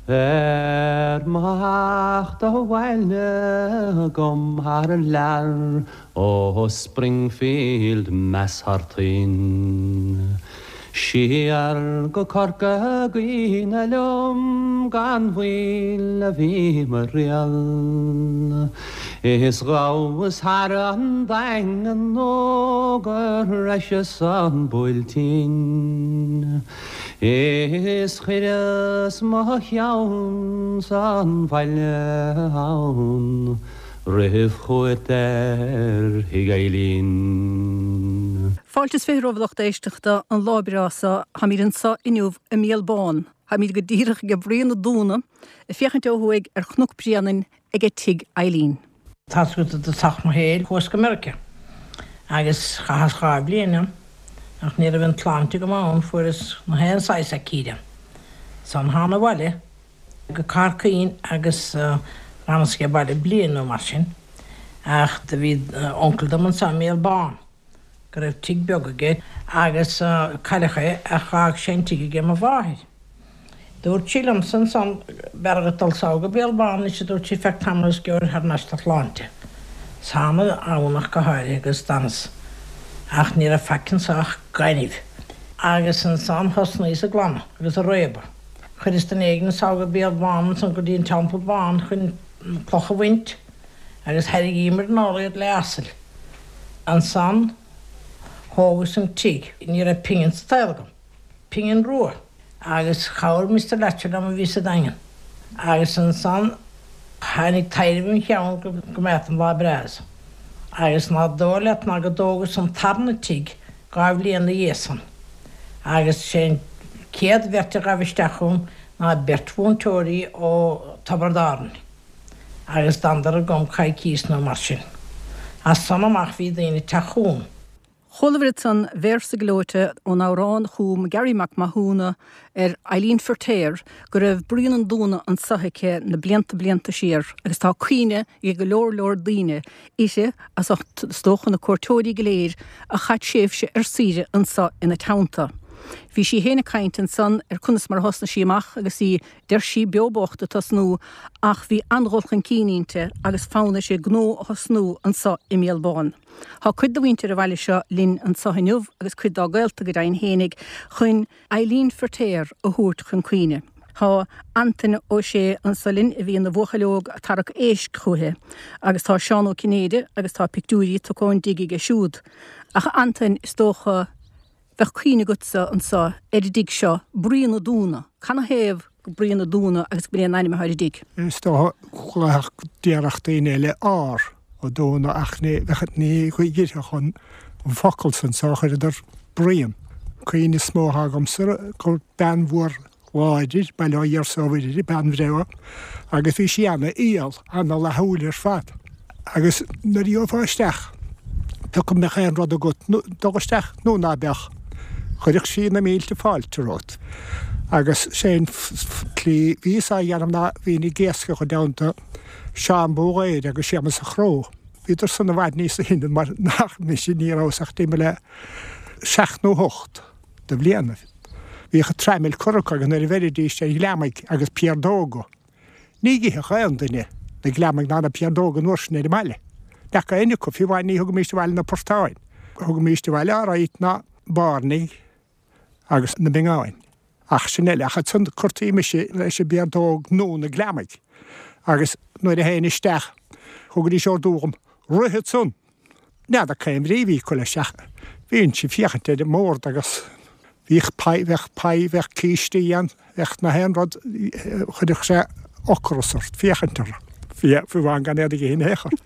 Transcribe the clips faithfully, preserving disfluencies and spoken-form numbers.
Ar mo theacht abhaile agam thar lear ó Springfield Mass thar toinn. Siar go Corca Dhuibhne liom gan mhoill a bhí mo thriall. Is ghabhas thar an Daingean nó go sroicheas an Buailtín. Is chuireas mo cheann san bhaile ann, roimh chuairt ar thigh Eileen. Fáilte is fiche romhaibh a lucht éisteachta an lá breá seo táimid anseo inniu i mBéal Bán. Táimid go díreach ag Bruíon an Dúna, ag féachaint ó thuaidh ar Chnoc Bréanainn ag tigh Eileen. Tá i dtosach mo shaoil chuas go Meiriceá agus chaitheas dhá bhliain ann ach ní raibh an tsláinte go maith ann fuaireas na haon saghas aicíd. San thána abhaile go Corcaigh agus d'fhanas ag baile bliain nó mar sin ach do bhí uncail dom anseo i mBéal Bán go raibh tigh beag aige agus cailleadh é ach d'fhág sé an tigh aige mo mháthair. Dúirt sí liom san san b'fhearr dhuit dul sall go Béal Bán is dúirt sí feadh tamaill is gheobhair thar n-ais do shláinte. Sána amhnach go háirithe agus d'fhanas ach ní raibh faic anseo ach gaineamh. Agus ansan thosnaíos ag glanadh agus ag réabadh. Chuireas duine éigin sall go Béal Bán san go dtí an Teampall Bán chun clocha a bhaint agus tharraingíomar anall iad le asail. Ansan thógas an tigh, ní raibh pingin sa tsaol agam. Pingin rua agus chabhraigh Mr. Letcher liom a bhí sa Daingean. Agus ansan tháinig taidhreamh im cheann go mbeadh an lá breá. Agus ná dóigh leat ná go dtógas an tarna tigh dhá bhliain ina dhiaidh san. Agus sé an chéad bheirt a ghabh isteach chugam ná beirt mhúinteoirí ó Tiobraid Árann. Agus d'fhanadar agam coicís nó mar sin. As san amach bhí daoine ag teacht chugam. Chualabhair ansan véarsa gleoite ón amhrán a chum Gary Mac Mathúna ar Eileen Feirtéar go raibh Bruíon an Dúna anseo aici na blianta blianta siar agus tá cuimhne ag go leor leor daoine uirthi as ucht is dócha na cuairteoirí go léir a chaith tréimhse ar saoire anseo ina teannta. Bhí sí féin ag caint ansan ar conas mar thosnaigh sí amach agus í deir sí beo bocht ag tosnú ach bhí an-dul chun cinn inti agus fonn uirthi gnó a thosnú anseo i mBéal Bán. Tá cuid de mhuintir an bhaile seo linn anseo inniu agus cuid dá gaolta go deimhin fhéinig chun Eileen Feirtéar a thabhairt chun cuimhne. Tá Antain Ó Sé anseo linn a bhí ina bhuachaill óg ag tarrac éisc chuici, agus tá Seán Ó Cinnéide agus tá pictiúirí tugtha ón dtigh aige siúd. Ach Antain is dócha bheadh cuimhne agatsa anseo ar an dtigh seo Bruíon an Dúna, Canathaobh go Bruíon an Dúna agus go b'é an ainm atá ar an dtigh. Is dócha go déarfadh daoine eile ár ó Dúna ach ní ní dhírtheach an an focal san so chuireadar Bruíon. Cuimhne is mó atá agamsa gur bean mhór láidir bail ó Dhia ar sábháil bean bhreá agus bhí sí ana-fhial, ana-fhlaithiúil ar fad. Agus nuair a gheofá isteach pé acu mbeadh aon rud agat dul isteach nó ná beadh, chuirfeadh sí na mílte fáilte romhat. Agus sé an tslí bhíos á dhéanamh ná bhínn ag iascach i dteannta Seán Búghaeir agus Séamus a' Chró. Bhíodar san i bhfad níos sine mar nach mise ní rabhas ach timpeall le seacht nó hocht de bhlianaibh. Bhíodh traimil curtha acu agus nuair a bheiridís ar ghliomaigh agus piardóga. Ní itheadh aon duine na gliomaigh ná na piardóga an uair sin ar an mbaile. Ní fhaca éinne acu, fiú amháin ní thugaimíst abhaile na portáin. Thugaimíst abhaile alright na bairnigh agus na bingeáin. Ach sin eile, ach ansan cuirtí mise leis an bpiardóg nó na gliomaigh. Agus nuair a théinn isteach thugaidís ordú dhom, rith ansan! N'fheadar cén bhrí a bhí acu leis ach bhínnse ag féachaint ar an mbord agus bhíodh pie, bheadh pie, bheadh cístí ann, bheadh na haon rud, chuirfeadh sé ocras ort féachaint orthu, fiú amháin gan iad a ithe in aon chor.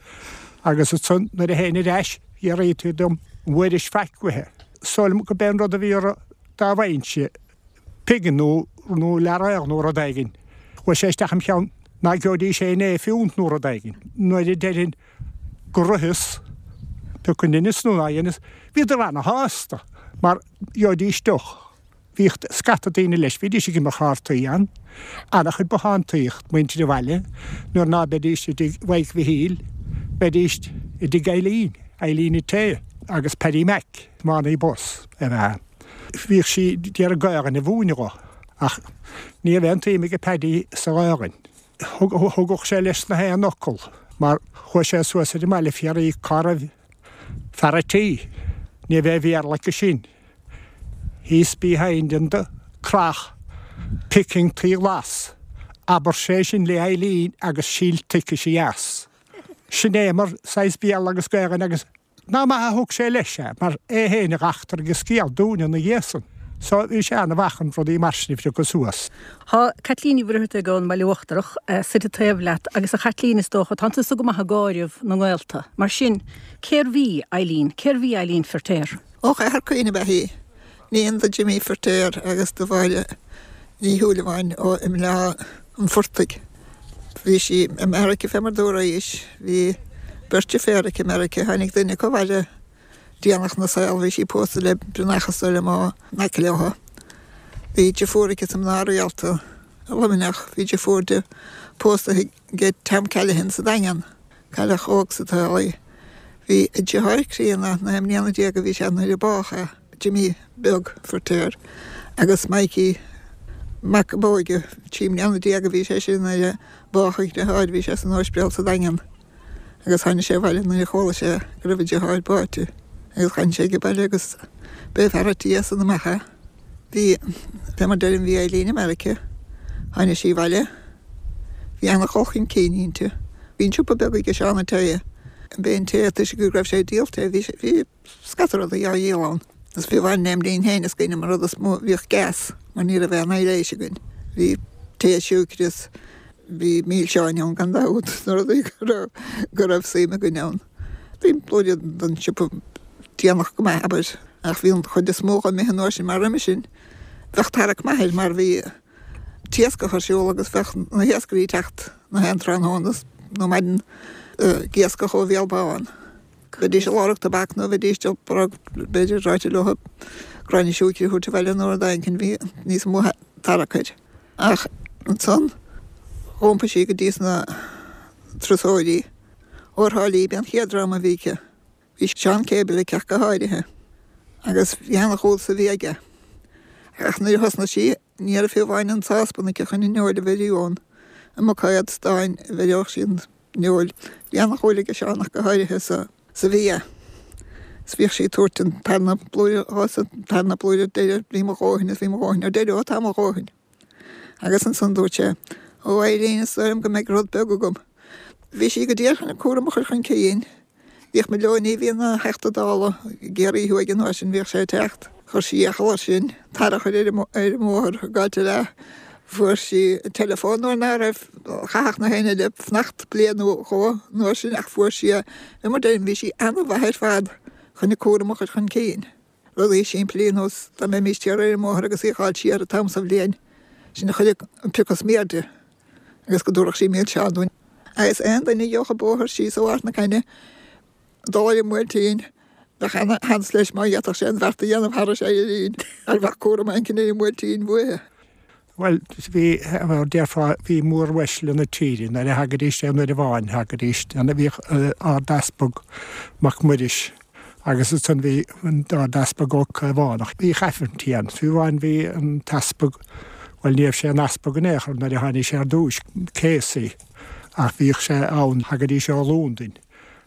Agus ansan nuair a théinn ar ais, fhiafraítí dom an bhfuairis faic uaithe. Is dóigh liom go b'é an rud a bhí orthu dá bhfaighinnse pingin nó nó leathréal nó rud éigin. Chuaigh sé isteach im cheann ná gheobhaidís féin é fiúnt nó rud éigin. Nuair a deirinn go ritheas, pé acu dheineas nó ná dheineas, bhíodar ana-shásta mar gheobhaidís deoch. Bhíodh scata daoine leis, bhídís ag imirt chártaí ann, ana-chuid bothántaíocht, muintir an bhaile, nuair ná beidís i dtigh Mhaidhc Mhichíl, bheidís i dtigh Eileen, Eileen Ité agus Paddy Mac, tiománaí bus ab ea. Bhíodh sí d'iarraidh Gaelainn a mhúineadh dho Ach ní raibh aon tsuim ag Paddy sa Ghaelainn. Thugadh sé leis na haon fhocal mar chuaigh sé suas ar an mbaile ag fiafraí cá raibh fear a' tí. Ní raibh aon Bhéarla acu sin. He's behind in the crach picking tae glas. Abair sé sin le Eileen agus síl tiocfaidh sí as. Sin é mar saghas Béarla agus Gaelainn agus nach maith a thug sé leis é mar é féin a dh'eachtraigh an scéal dúinne ina dhiaidh san. So bhí sé ana-mhaith chun rudaí mar sin a phiocadh suas. Tá Caitlín Ní Mhuircheartaigh ón mBaile Uachtarach suite taobh leat agus a Chaitlín is dócha tánn tusa go maith ag áireamh na ngaolta. Mar sin, cérbh í Eileen? Cérbh í Eileen Feirtéar? Ó Chathair Cuinn ab ea í. Iníon do Jimmy Feirtéar agus do Mháire Ní Shúilleabháin ó i mBleá an Phortaigh. Bhí sí i Meiriceá fé mar dúraís. Bhí beirt deirféar aici i Meiriceá. Tháinig duine acu abhaile déanach 'na saol. Bhí sí pósta le Brionach is dóigh liom ó in aice leo. Bhí deirfiúr aici sa mná rialta i Luimneach. Bhí deirfiúr di pósta ag Tom Callaghan sa Daingean. Cailleach óg sa tsaol í. Bhí a deartháir críonna, naoi mbliana déag a bhí sé nuair a bádh é, Jimmy beag Feirtéar, agus Mikey, mac ab óige, trí mbliana déag a bhí sé sin nuair a bádh a dheartháir, bhí sé san ospidéal sa Daingean agus tháinig sé abhaile nuair a chuala sé go raibh a dheartháir báite agus tháinig sé ag baile agus b'é fear a' tí as san amach é. Bhí, fé mar deirim, bhí Eileen i Meiriceá, tháinig sí abhaile, bhí ana-dhul chun cinn inti. Bhí an siopa beag aige Seán an tae, b'é an tae toisc go raibh sé ag díol tae, bhí sé, bhí scata rudaí á dhíol ann. Is fiú amháin lem linn féin is cuimhin liom an rud is mó, bhíodh gas mar ní raibh aon aibhléis againn. Bhí tae siúicre is bhí milseáin ann gan dabht, na rudaí go raibh, go raibh suim againn ann. Bhí blúire den siopa déanach go maith, abair, ach bhí an chuid is mó imithe an uair sin mar roimhe sin bheadh tarrac maith air mar bhí t-iascach ar siúl agus bheadh na hiascairí ag teacht na haon tráthnóna nó maidin ag iascach ó Bhéal Bán. Bheidís ag lorg tobac nó bheidís ag lorg b'fhéidir ráite leo gráinne siúicre a thabhairt abhaile nó rud éigin bhí níos mó tarrac air. Ach ansan dh'iompaigh sí go dtí sna turasóirí. Ó Thrá Lí b'é an chéad dream a bhí aici. Bhí Seán Cable aici ach go háirithe agus bhí ana-dhúil sa bhia aige. Ach nuair a thosnaigh sí ní raibh fiú amháin an sáspan aici chun an fheoil a bheiriú ann. I mbuicéad stáin a bheireodh sí an fheoil. Bhí ana-dhúil aige Seán ach go háirithe sa sa bhia. Is bhíodh sí ag tabhairt an tarna blúire dhó is an tarna blúire deireadh bhí mo dhóthain is bhí mo dhóthain ar deireadh ó tá mo dhóthain. Agus ansan dúirt sé, Ó Eileen is dóigh liom go mbeidh rud beag agam. Bhí sí go diail chun an cúram a chur chun cinn. Bhíodh Moloney a bhí ina Theachta Dála i gCiarraí Thuaidh an uair sin, bhíodh sé ag teacht. Chuir sí iachall air sin tar a chur ar an mbóthar i gcáit eile. Fuair sí teileafón nuair ná raibh, chaithfeadh na héinne eile fanacht bliain nó dhó an uair sin ach fuair sí é. Fé mar deirim, bhí sí ana-mhaith ar fad chun a cúram a chur chun cinn. Rudaí simplí ar nós dá mbeimis thiar ar an mbóthar agus í a dh'fháil siar an t-am sa bhliain sin a chuireadh an piocadh sméar di agus go dtabharfadh sí milseán dúinn. Agus aon duine a gheobhadh an bóthar síos ó Ard na Caithne dul ar an mBuailtín, bheadh ana-sheans leis má d'fhéadfadh sé an bheart a dhéanamh thairis Eileen, mar bheadh cúram éicint ar an mBuailtín uaithe. Bhuel, bhí, mar déarfá, bhí móruaisle na tíre, nuair a thagaidís aon uair amháin, thagaidís, bhíodh Ard-Easpag Mac Muiris agus ansan bhí an tArd-Easpag Ó Caomhánach, bhíodh aifrinntí ann. Fiú amháin bhí an t-easpag, bhuel ní raibh sé ina easpag in aon chor nuair a tháinig sé ar dtúis, Casey, ach bhíodh sé ann, thagaidís ó Londain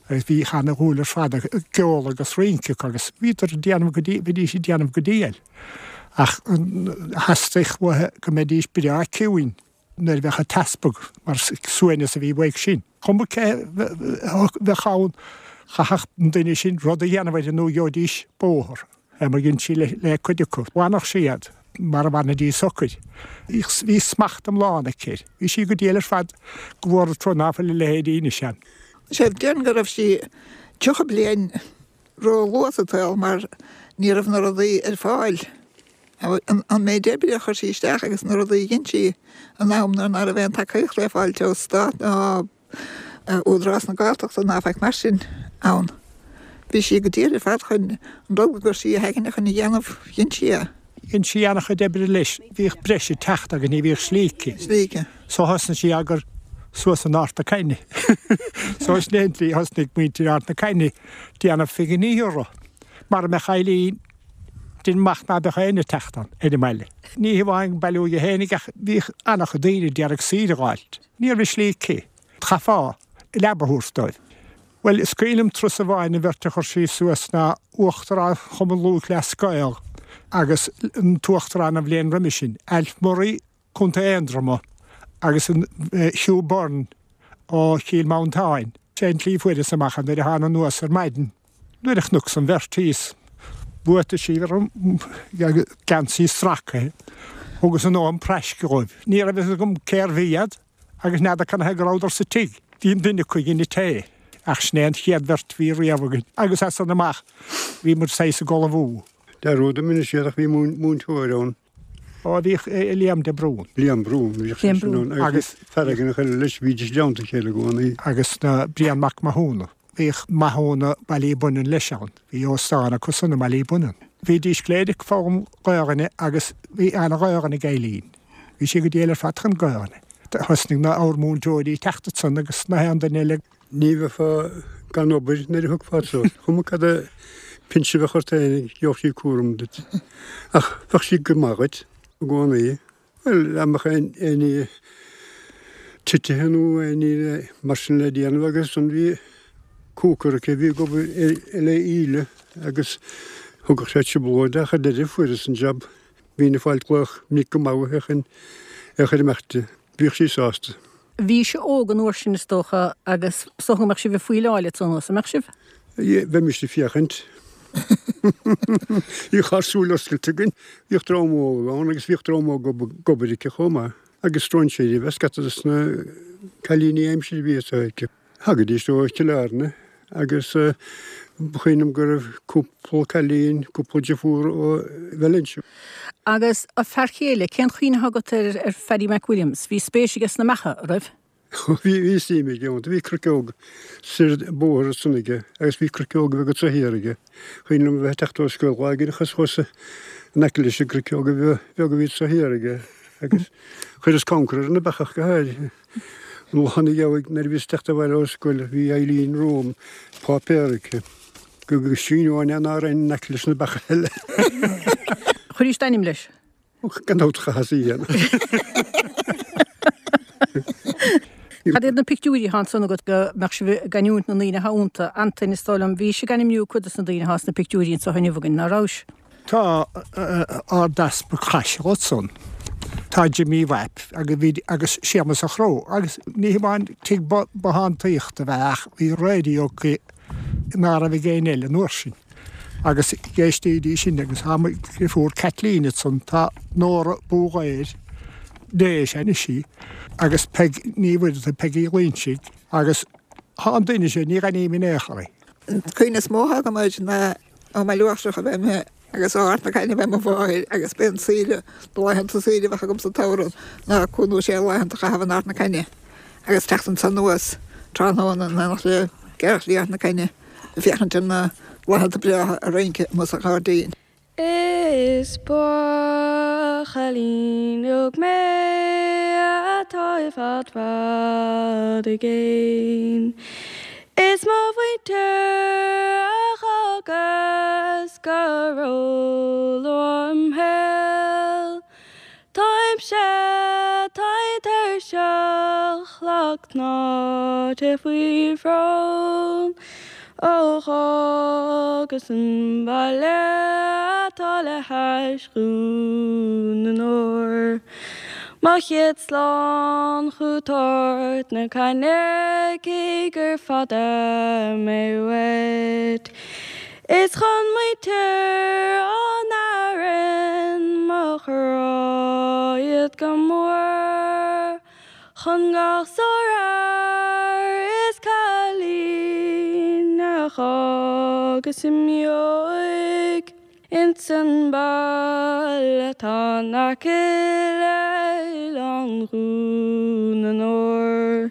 agus bhí ana-dhúil ar fad i gceol agus rince acu agus bhíodar ag déanamh go, bhídís ag déanamh go diail. Ach theastaigh uathu go mbeidís breá ciúin nuair a bheadh an t-easpag, mar suaimhneas a bhí uaidh sin. Cuma cé a bheadh ann, chaithfeadh an duine sin rud a dhéanamh air nó gheobhaidís bóthar. Mar dhein sí le cuid acu. Bhainfeadh sí iad mar a bhainfidís socair. Bhí smacht iomlán aici air. Bhí sí go diail ar fad go bhfuair tú ná fuil a leithéidí anois ann. Sea, déarfainn go raibh sí tríocha bliain ró-luath sa tsaol mar ní raibh na rudaí ar fáil. An méid oibre a chuir sí isteach agus na rudaí a dhein sí in am nuair ná raibh aon tacaíocht le fáilt ó stát ná Údarás na Gaeltachta ná faic mar sin ann. Bhí sí go diail ar fad chun an rud a chuir sí a haigne chun a dhéanamh, dhein sí é. Dhein sí an-chuid oibre leis. Bhíodh breis ag teacht agus ní bhíodh slí aici. Slí aici. So thosnaigh sí á gcur suas in Ard na Caithne. So sin é an tslí a thosnaigh muintir Ard na Caithne déanamh phinginí orthu. Mara mbeadh Eileen Déanaim amach ná beadh éinne ag teacht ann ar an mbaile. Ní hamháin bailiú aige fhéinig ach bhíodh an-chuid daoine d'iarraidh saoire a dh'fháilt. Ní raibh slí aici. Chaithfeá leaba a thabhairt dóibh. Bhuel, is cuimhin liom turas amháin an bheirt a chuir sí suas ná Uachtarán Chumann Lúthchleas Gael agus an tUachtarán an bhliain roimhe sin, Alf Murray, Contae Aontroma, agus an Hugh Byrne ó Chill Mhantáin. Sé an tslí a fuaireas amach é nuair a thána anuas ar maidin. Nuair a chonacas an bheirt thíos, buataisí orm, geansaí stracaithe, thugas an am praisce dhóibh. Ní raibh fhios agam cérbh iad agus n'fheadar canathaobh go rabhadar sa tigh. Bhí an duine acu ag inse tae, ach sin é an chéad bheirt a bhí riamh againn. Agus as san amach bhí muid saghas ag ullmhú. Dearúd a inis siad ach bhí múinteoir ann. Ó bhíodh Liam de Brún. Liam Brún, bhíodh seisean ann agus fear éigin eile leis, bhídís i dteannta a chéile i gcónaí. Agus na Brian Mac Mathúna. Bhíodh Mathúna Baile Bunnan leis ann. Bhí óstán acu san i mBaile Bunnan. Bhídís go léir ag foghlaim Gaelainne agus bhí ana-Ghaelainn ag Eileen. Bhí sí go diail ar fad chun Gaelainne. Thosnaigh na ár múinteoirí ag teacht ansan agus na haon duine eile. Ní bheifeá gan obair nuair a thiocfá suas. Cuma cad é pinse a bheadh ort féin, gheobhadh sí cúram duit. Ach bheadh sí go maith dhuit i gcónaí. Bhuel, dá mbeadh aon ní titithe nó aon ní mar sin le déanamh agus ansan bhí cooker aici a bhí ag obair le íle agus thugadh sé trioblóid ach ar deireadh fuaireas an jab. Bhínn ag fáil glaoch minic go maith uaithi chun é a chur imeacht di. Bhíodh sí sásta. Bhí sibh óg an uair sin is dócha agus is dócha go mbeadh sibh ag faoileáil ansan, an mbeadh sibh? Bheimis ag féachaint. Bhíodh ár súile oscailte againn. Bhíodh dream óg ann agus bhíodh dream óg ag obair aici chomh maith. Agus stróinséirí a bheith scata dos na cailíní aimsire a bhí aici. Thagaidís ó Chill Airne agus ba chuimhin liom go raibh cúpla cailín, cúpla deirfiúr ó Valencia. Agus a fear chéile, cén chuimhne atá agat ar ar Phaddy McWilliams? Bhí spéis aige sna beacha, an raibh? Bhí, bhí suim aige iontu. Bhí cruiceog soir an bóthar ansan aige agus bhí cruiceog bheag anso thiar aige. Cuimhin liom a bheith ag teacht ó scoil lá éigin agus chuas in aice leis an gcruiceog bheag a bhí anso thiar aige agus chuireas concra ar na beacha ach go háirithe. Lá ina dhiaidh nuair a bhíos ag teacht abhaile ó scoil bhí Eileen romham, páipéar aici, go go síneoinn é ná raibh in aice leis na beacha eile. Chuiris d'ainm leis? Gan dabht chaitheas í a dhéanamh. Cad iad na pictiúirí atá ansan agat go mbeadh sibh ag ainmniú na ndaoine atá iontu? Antain, is dóigh liom, bhís ag ainmniú cuid de na daoine atá sna pictiúirí anseo inniu againn, ná rabhais? Tá Ardeaspag Chaisil ansan. Tá Jimí Mhaip agus bhí agus Séamus a' Chró agus ní hamháin tigh bothántaíochta a bheith ach bhí raidió acu ná raibh ag éinne eile an uair sin. Agus d'éistídís sin agus tá mo dheirfiúr Caitlín ansan, tá Nóra Búghaeir, d'éis anois í, agus Peig Ní Mhuireadhaigh, Peig Uí Loingsigh agus tá an duine sin, ní aithním in aon chor í. An cuimhne is mó atá agam air ná ó mBaile Uachtarach ab ea mé agus ó Ard na Caithne ab ea mo mháthair agus b'é an saoire, na laethanta saoire a bheadh agam sa tsamhradh ná cúig nó sé laethanta a chaitheamh in Ard na Caithne agus teacht anso anuas tráthnóna in éineacht le gearrchailí Ard na Caithne ag féachaint ar na bláthanna breátha ag rince amuigh sa ghairdín. Is buachaillín óg mé atá i bhfad fad i gcéin. Is mo mhuintir a dh'fhágas go róluath im shaol. Táimse tinn tuirseach lag tnáite faoi bhrón. Ó dh'fhágas an baile atá le hais Dhún na nÓr. Mo chéad slán chút Ard na Caithne cé gur fada mé uait. Is chun muintir an Árainn mo ghrá iad go mór. Chun gach sárfhear is cailín a dh'fhágas i m'óige ins an baile atá in aice le hOileán Dhún na nÓr.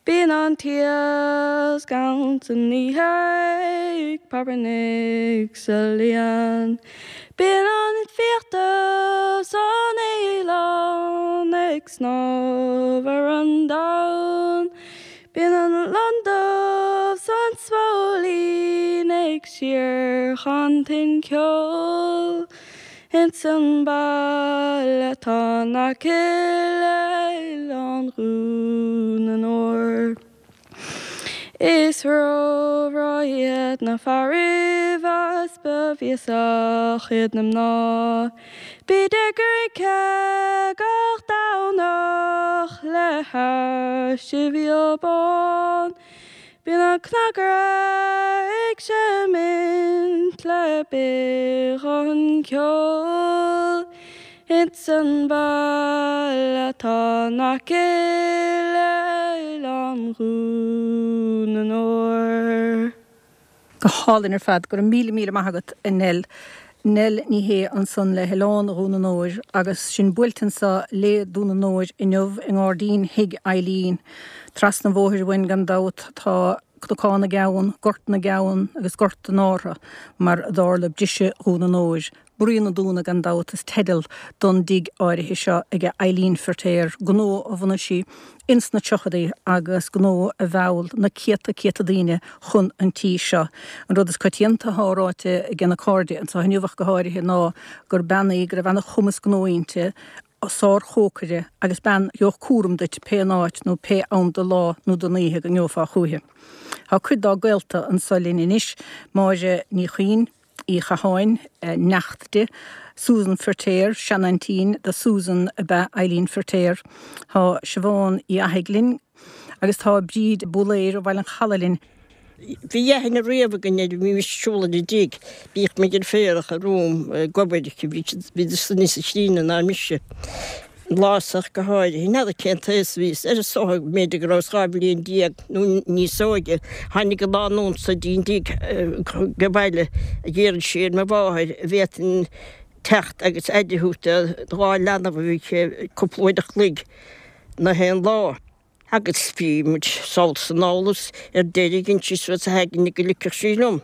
Bíonn an t-iasc ann san oíche ag preabarnaigh sa líon. Bíonn an fiach dubh 's an fhaoileán ag snámh ar an dtonn. Bíonn an lon dubh 's an smóilín ag síorchantain ceoil. Ins an baile atá in aice le hOileán Dhún an Óir. Is róbhreá iad na fearaibh is ba bhéasach iad na mná. Bíd ag rince gach Domhnach le hais Sibhial Bán. Bíonn an cnagaire ag seimint le beagán ceoil. Ins an baile atá in aice le hOileán Dhún an Óir. Go hálainn ar fad go raibh míle míle maith agat a Nell. Nell Ní Shé ansan le hOileán Dhún an Óir agus sinn buailte anseo le Dún an Óir inniu i ngairdín Thigh Eileen. Trasna an bhóthair uainn gan dabht tá Cnocán na gCeann, Gort na gCeann agus Gort an Ártha mar a dtarla briseadh Dhún an Óir. Bruíon an Dúna gan dabht is teideal don dtigh áirithe seo ag Eileen Feirtéar, gnó a bhunaigh sí ins na tríochaidí agus gnó a mheall na céadta céadta daoine chun an tí seo. An rud is coitianta atá ráite ag na cairde anseo inniu ach go háirithe ná gur bean í go raibh an-chumas gnó inti, sárchócaire agus bean a gheobhadh cúram duit pé an áit nó pé am de lá nó den oíche go ngeofá chúiche. Tá cuid dá gaolta anseo linn anois, Máire Ní Chuinn, Uí Chatháin, neacht di, Susan Feirtéar, seanaintín do Susan ab ea Eileen Feirtéar, Tá Siobhán Uí Fhathaigh linn agus tá Bríd Búléir ó Bhaile an Chalaidh linn. Bhí aithne riamh againn air, bhí mise ag siúl ar an dtigh, bhíodh muid ar féarach ar romham ag obair, bhí siad níos críonna ná mise. An lá so ach go háirithe, n'fheadar cén t-aos a bhíos air, is dócha b'fhéidir go rabhas dhá bhliain déag nó níos óige, tháinig an lánúin so dtí'n dtigh go baile ag iarraidh sí ar mo mháthair an bhféadfainn teacht agus aire a thabhairt do dhá leanbh a bhí aici cúpla uair a chloig na haon lá. Agus bhí muid sall is anall is ar deireadh dhein sí suas a haigne go ligfeadh sí liom.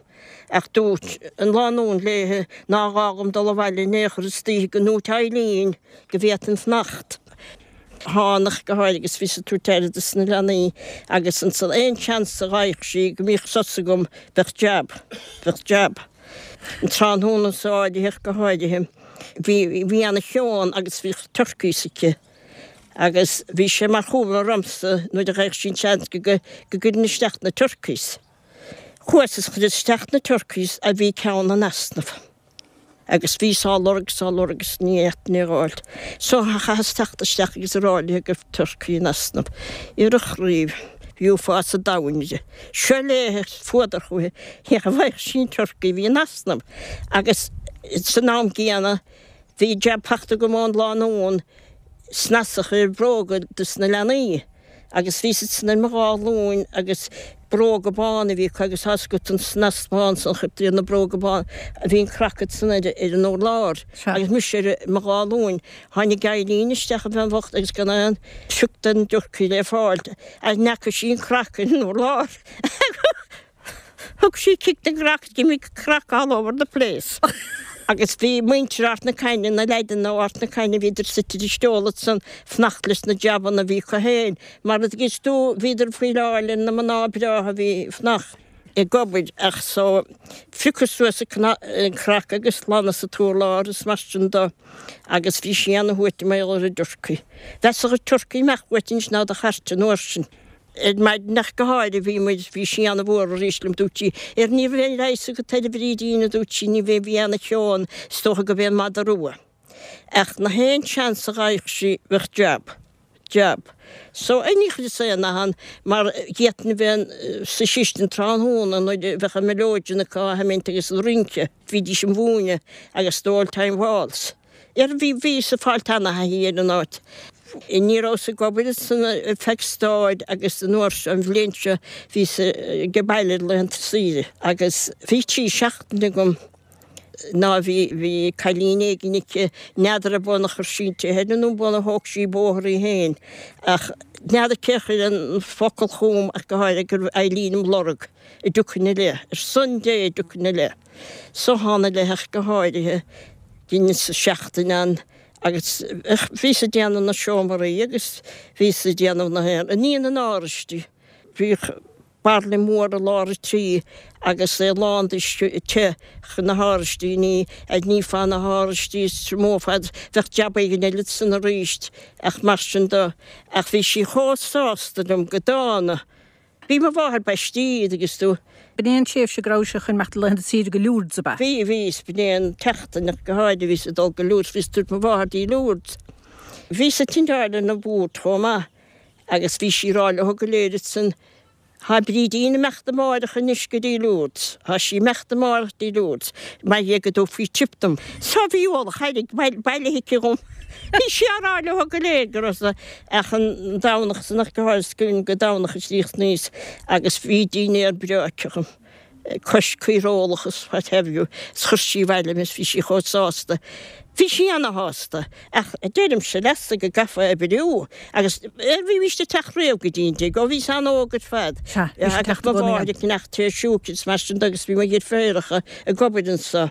Ach dúirt an lánúin léithe nár ghá dhom dul abhaile in aon chor istoíche go ndúirt Eileen go bhféadfainn fanacht. Thánag go háirithe agus bhíos ag tabhairt aire dos na leanaí agus ansan aon seans a dh'fhaigheadh sí go mbíodh sos agam bheadh jab, bheadh jab. An tráthnóna so áirithe ach go háirithe bhí, bhí ana cheann agus bhíodh turkeys aici. Agus bhí sé mar chúram ormsa nuair a gheibheadh sí an seans go go gcuirfinn isteach na turkeys. Chuas is chuireas isteach na turkeys a bhí ceann in easnamh. Agus bhíos á lorg is á lorg is ní fhéadfainn é a dh'fháilt. So chaitheas teacht isteach agus a rá léi go raibh turkey in easnamh. Ar a chraobh, bhí uafás an domhain uirthi. Seo léi fuadar chúithi, cé cha bhfaigheadh sí an turkey a bhí in easnamh. Agus san am gcéanna Bhí jab fachta agam ón lánúin snasach ar bhróga dos na leanaí agus bhíos ansan ar mo dhá ghlúin agus bróga bána a bhí acu agus tá's agat an snas bán san a chuirtear ar na bróga bána, bhí an craiceann san ar ar an urlár agus mise ar mo dhá ghlúin. Tháinig Eileen isteach an bhean bhocht agus gan aon phioc den dturcaí le fáil ach n'fheaca sí an craiceann ar an urlár. Thug sí cic den gcraiceann, d'imigh craiceann all over the place. Agus bhí muintir Ard na Caithne, na leaideanna ó Ard na Caithne, bhíodar suite ar an steall ansan, fanacht leis na jabanna a bhí acu féin. Mar a dtuigeann tú, bhíodar ag fuileáil ar na mná breátha a bhí fanacht ag obair ach so phiocas suas an craiceann agus ghlanas an t-urlár is mar sin do agus bhí sí ana-shuaite mar gheall ar an dturcaí. Mheasfadh an turcaí amach uait anois ná do chairt an uair sin. Ar maidin ach go háirithe bhí muid, bhí sí ana-mhór arís liom, dúirt sí, ar ní raibh aon leigheas agat air a Bhrídín, a dúirt sí, ní bheidh, bhí ana-cheo ann, is dócha go b'é an madadh rua. Ach na haon seans a dh'fhaigheadh sí bheadh jab, jab. So, ní chuireas aon nath ann mar d'fhéadfainn a bheith sa chistin tráthnóna nuair a bheadh an mileoidean acu á sheimint agus an rince, bhídís a mhúineadh agus the old time waltz. Ar bhí, bhíos ag fáilt ana-thaithí ar an áit. Ní rabhas ag obair ansan ar feadh staid agus an uair seo, an bhliain seo, bhíos age baile ar laethanta saoire agus bhí trí seachtaine agam ná bhí, bhí cailín éigin aici, n'fheadar an b'fhonn a chuir sí inti féin nó an b'fhonn a thóg sí bóthar í féin ach n'fheadar cé a chuir an focal chugam ach go háirithe go raibh Eileen im lorg, an dtiocfainn i leith, ar son Dé an dtiocfainn i leith. So thána i leith ach go háirithe. Dheineas seachtain ann agus bhíos ag déanamh na seomraí agus bhíos ag déanamh na haon ní an árais di. Bhíodh Bairille mór i lár an tí agus é lán d'uisce te chun na hÁraistíní a nífeá na hÁraistí is triomófá iad, bheadh jab éigin eile ansan aríst ach mar sin de ach bhí sí chomh sásta liom go dána. Bhí mo mháthair baistí agus tú. B'in é an tréimhse go raibh sé chun imeacht laethanta saoire go Lourdes, ab ea? Bhí, bhí, is b'in é an tseachtain ach go háirithe bhíos ag dul go Lourdes, bhíos ag tabhairt mo mháthair dtí Lourdes. Bhíos ag tindeáil ar na bord chomh maith agus bhí sí ag rá leo go léir ansan, Tá Brídín ag imeacht amáireach anois go dtí Lourdes, tá sí ag imeacht amáireach dtí Lourdes, mar dhea go dtabharfaí tip dom. So bhí ualach airgid bailithe aici dhom. Bhí sí á rá leo go léir go raibh sa, ach an Domhnach san ach go háirithe, is cuimhin go Domhnach a chríochnaíos agus bhí dinnéar breá aici dhom. cois caorólach is what have you, is chuir sí abhaile mé is bhí sí chomh sásta. Bhí sí ana-shásta, ach deirimse leatsa go gcaithfeá oibriú agus bhímíst ag teacht riamh go dtí an tigh, ó bhíos an-óg ar fad. Sea, bhí sí ag teacht i Mo gcónaí mháthair ag ceannach tae siúcra is mar sin de agus bhí mo dheirféaracha ag obair anso.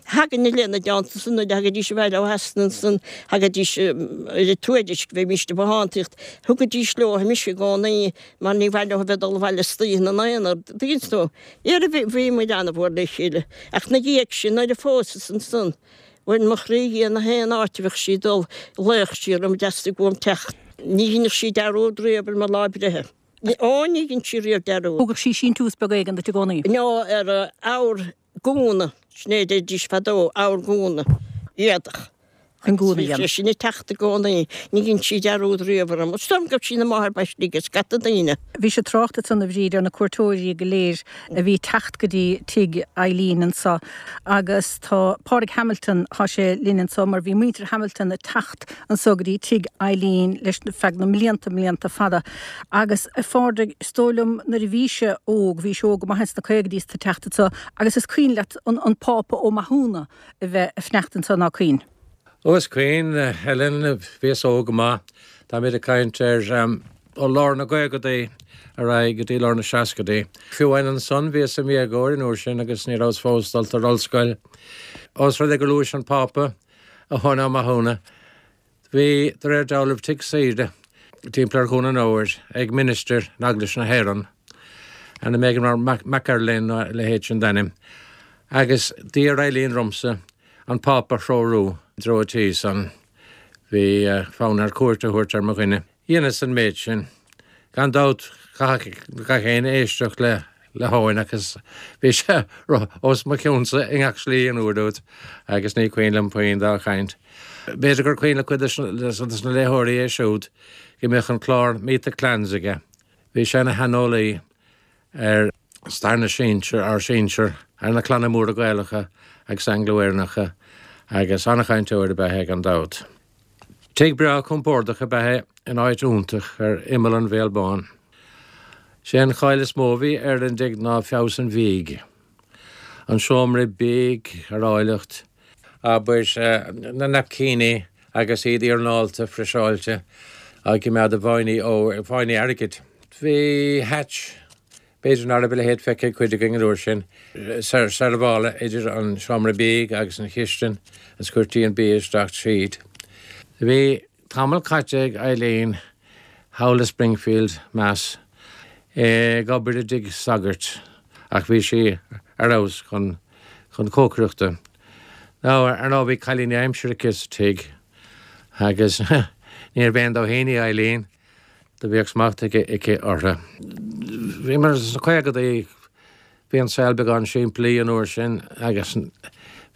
Thagainn lena dteannta san nuair a thagaidís abhaile ó Shasana ansan, thagaidís ar an Tuairisc, bheimíst ag bothántaíocht, thugaidís leo mise i gcónaí mar ní mhaith leo a bheith ag dul abhaile istoíche ina n-aonar, tuigeann tú. Dhera bhí, bhí muid ana-mhór le chéile. Ach 'na dhiaidh sin, nuair a phósas ansan, bhain mo chroí dhi na haon áit a bheadh sí ag dul, ghlaodh sí orm, theastaigh uaim teacht. Ní dheineadh sí dearúd riamh ar mo lá breithe. Ó, ní dhein sí riamh dearúd. Thugadh sí síntiús beag éigin duit i gcónaí. No, ar abhar gúna, sin é a deiridís fadó, abhar gúna, éadach. Chun gúna a Bhí sé dhéanamh. sin ag teacht i gcónaí, ní dhein sí dearúd riamh orm. Is dóigh liom go raibh sí ina máthair baistí ag scata daoine. Bhí sé ag trácht ansan a Bhríd ar na cuairteoirí go léir a bhí ag teacht go dtí tigh Eileen anso agus tá Pádraig Hamilton, thá sé linn anso mar bhí muintir Hamilton ag teacht anso go dtí tigh Eileen leis feadh na mblianta, mblianta fada. Agus a Phádraig, is dóigh liom nuair a bhís-se óg, bhís óg go maith ins na caogaidí is tú ag teacht anso agus is cuimhin leat an, an Pápa Ó Mathúna a bheith ag fanacht anso ná cuimhin? Ó is cuimhin, Helen, bhíos óg go maith. Táimid ag caint ar ó lár na gcaogadaí ar aghaidh go dtí lár na seascadaí. Fiú amháin ansan bhíos i m'dhéagóir an uair sin agus ní rabhas fós dulta ar ollscoil. Ós rud é gur luais an Pápa, Eoin Ó Mathúna, Bhí, de réir dealraimh, tigh saoire timpeall ar Dhún an Óir ag ministir in Eaglais na hÉireann, ainm éigin mar McErlane nó a leithéid sin d'ainm, agus d'iarr Eileen ormsa an Pápa a threorú i dtreo an tí san. Bhí fonn air cuairt a thabhairt ar mo dhuine. Dheineas an méid sin. Gan dabht, chaithfeadh gach éinne éisteacht le le hEoin agus bhí sé os mo chionn-sa i ngach slí an uair úd agus ní cuimhin liom puinn dá chaint. B'fhéidir gur cuimhin le cuid de na léitheoirí é siúd go mbíodh an clár Meet the Clans aige. Bhí sé ina shaineolaí ar stair na sinsear, ár sinsear, ar na clanna móra Gaelacha agus Angla-Éireannacha agus an-chainteoir ab ea é gan dabht. Tigh breá compordach ab ea é in áit iontach ar imeall an Bhéal Báin. Sé an cháil is mó a bhí ar an dtigh ná feabhas an bhídh, an seomra bídh ar áilleacht, abair, na naipcíní agus iad iarnálta friseáilte á gcoimeád i bhfáinní óir, fáinní airgid. Bhí hatch, b'fhéidir ná raibh a leithéid feicthe ag cuid againn an uair sin, seirbheála idir an seomra bídh agus an chistin agus chuirtí an bia isteach tríd. Bhí tamall caite ag Eileen thall i Springfield, Mass. Ag obair i dtigh sagairt ach bhí sí ar fheabhas chun chun cócaireachta. Now, ar ndóigh bhí cailíní aimsire aici sa tigh agus níorbh aon dóithín í Eileen, do bhíodh smacht aici aici orthu. Bhíomar sna caogadaí, bhí an saol beagán simplí an uair sin agus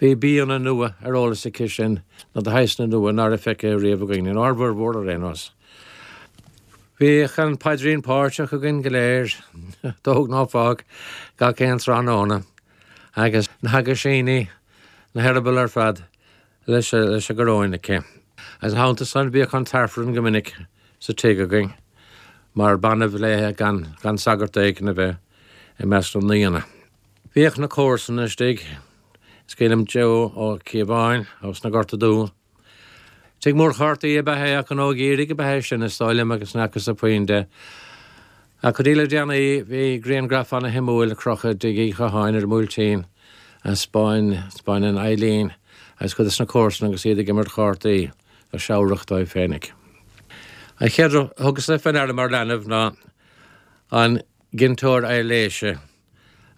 bhí bianna nua ar eolas aici sin nó de shaghsanna nua ná raibh feicthe riamh againn, inár bhformhór ar aon nós. Bhíodh an paidrín páirteach againn go léir, tóg ná fág, gach aon tráthnóna, agus na haguisíní, na heireabaill ar fad leis an gcoróin aici. Agus ina theannta san bhíodh an tAifreann go minic sa tigh againn, mar b'annamh léithe gan gan sagart éigin a bheith i measc na n-aíonna. Bhíodh na comharsana istigh, is cuimhin liom Joe Ó Cíobháin ós na Gorta Dubha, Tigh mór chártaí ab ea é ach gnó geimhridh ab ea é sin, is dóigh liom, agus ní fhacas-sa puinn de. Ach go dtí le déanaí bhí grianghraf ana-shuimiúil ar crochadh i dTigh Uí Chatháin ar an mBuailtín a 'spáineann Eileen agus cuid de na comharsana agus iad ag imirt chártaí go seabhrach dóibh féinig. An chéad rud a thugas-sa fé ndeara mar leanbh ná an ginteoir aibhléise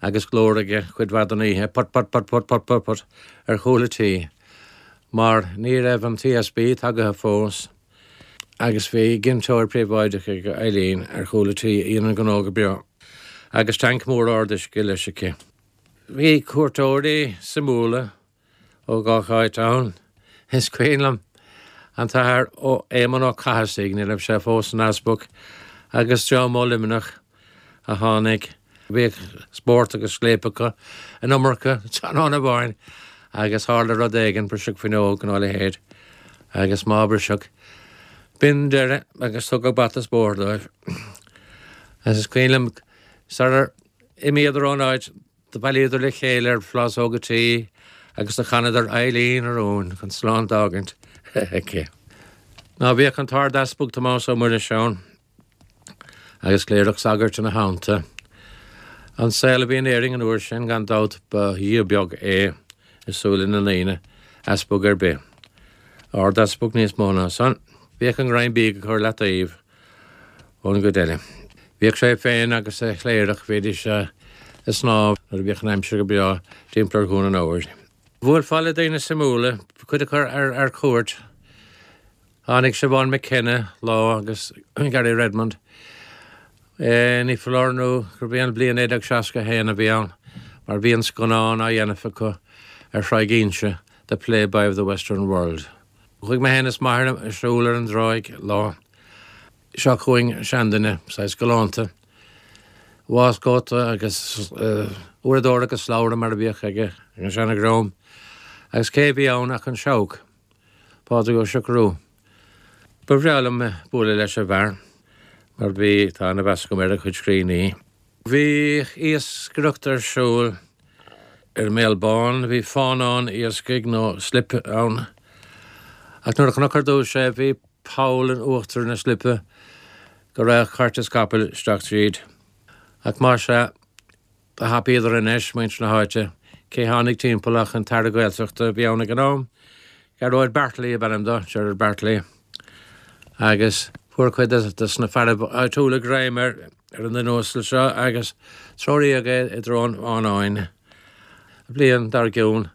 agus glór aige cuid mhaith den oíche, put put put put put put put ar chúl an tí, mar ní raibh an T S B tagaithe fós agus bhí ginteoir príobháideach ag Eileen ar chúl an tí a dhein an gnó go breá, agus tanc mór arduisce leis aici. Bhí cuairteoirí suimiúla ó gach áit ann. Is cuimhin liom an tAthair ó Éamonn Ó Cathasaigh, ní raibh sé fós ina easpag, agus dream ó Luimneach a tháinig. Bhíodh spórt agus scléip acu an iomarca tráthnóna amháin agus tharla rud éigin, briseadh fuinneog nó a leithéid, agus má briseadh, b'in deireadh agus tugadh bata is bóthar dóibh. Agus is cuimhin liom sarar imíodar ón áit do bhailíodar le chéile ar phlásóg an tí agus do chanadar Eileen a Rúin chun slán d'fhágaint aici. Ná bhíodh an tArd-Easpag Tomás Ó Muiris ann agus cléireach sagairt ina theannta. An saol a bhí in Éirinn an uair sin gan dabht ba dhia beag é i súile na ndaoine, easpag ar bith. Ard-easpag níos mó ná san, bhíodh an greim bídh á chur i leataobh ón gcuid eile. Bhíodh sé féin agus a chléireach, bhídís ag snámh nuair a bhíodh an aimsir go breá timpeall ar Dhún an Óir. Bhuailfeá le daoine suimiúla, cuid acu ar ar cuairt. Tháinig Siobhán McKenna lá agus Gary Redmond. E, ní foláir nó gurb í an bliain naoi déag seasca a haon a bhí ann, mar bhí an scannán á dhéanamh acu ar Thráigh Inse, The Playboy of the Western World. Chuaigh mé féin is m'athair ag siúl ar an dtráigh lá. Seo chugainn seanduine, saghas galánta. Waistcóta agus uaireadóir agus slabhra mar a bhíodh aige ag an seanadhream. Agus cé bhí ann ach an Seabhac, Pádraig Ó Siochrú. Ba bhreá liom bualadh leis an bhfear, mar bhí tá ana-mheas agam ar a chuid scríbhinní. Bhí iascaireacht ar siúl ar an mBéal Bán, bhí fánán iascaigh nó slip ann. Ach nuair a chonac ar dtús é, bhí poll in uachtar na slipe go raibh cairt is capall isteach tríd. Ach más ea, do thapaíodar anois, muintir na háite, cé tháinig timpeall ach an tAire Gaeltachta a bhí ann ag an am, Gearóid Bartley ab ainm dó, Gerard Bartley, agus fuair cuid de na fearaibh áitiúla greim ar ar an duine uasal seo agus treoraíodh é i dtreo an fhánáin. An bhliain dár gcionn,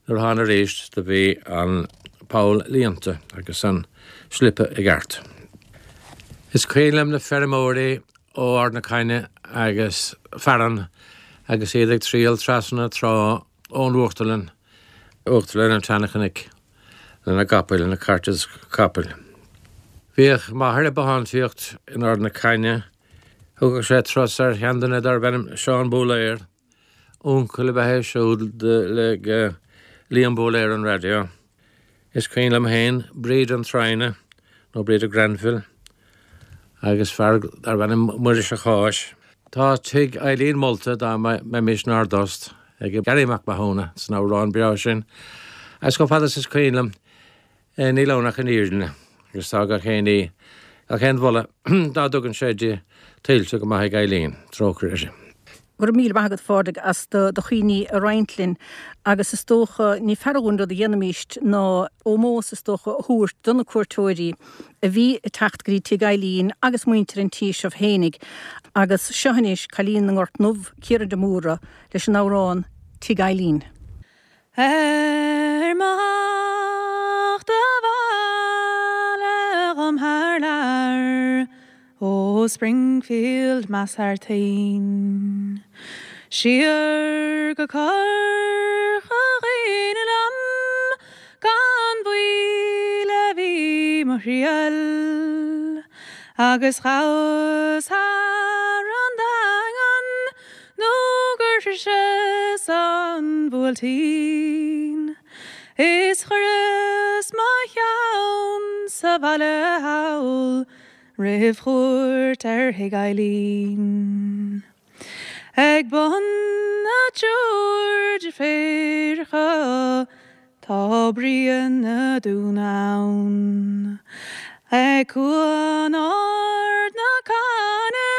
nuair a thána arís, do bhí an poll líonta agus an slipe i gceart. Is cuimhin liom na feirmeoirí ó Ard na Caithne agus Fearann agus iad ag triall trasna na trá ón Uachtarlann, Uachtarlann an tSeanchnoic, lena gcapaill, lena cairt is capaill. Bhíodh m'athair ag bothántaíocht in Ard na Caithne. Thugadh sé turas ar sheanduine darbh ainm Seán Bóiléir, uncail ab ea é siúd le Liam Bóiléir an raidió. Is cuimhin liom féin Bríd an Traidhne, nó Bríd Granville, agus fear darbh ainm Muiris a' Cháis. Tá tigh Eileen molta dá mbeimis inár dtost ag Garry Mac Mathúna san amhrán breá sin, agus chomh fada is is cuimhin liom níl ann ach an fhírinne, agus tá gach aon ní, gach aon mholadh dá dtugann sé di tuillte go maith ag Eileen, trócaire uirthi. Go raibh míle maith agat, a Phádraig, as do do chuimhní a roinnt linn agus is dócha ní fearr dhúinn rud a dhéanfaimíst ná ómós is dócha a thabhairt do na cuairteoirí a bhí ag teacht go dtí tigh Eileen agus muintir an tí seo fhéinig agus seo anois Cailín na nGort nDubh, Ciara de Mórdha, leis an amhrán Tigh Eileen. Ar mo theacht abhaile dhom thar lear ó Springfield Mass thar toinn. Siar go Corca Dhuibhne liom gan mhoill a bhí mo thriall, agus ghabhas thar an Daingean nó gur shroiseas an Buailtín. Is chuireas mo cheann sa bhaile thall roimh chuairt ar thigh Eileen. Ag bun na dtriúr deirfiúracha tá Brian na Dún ann. Ag Cuan Ard na Caithne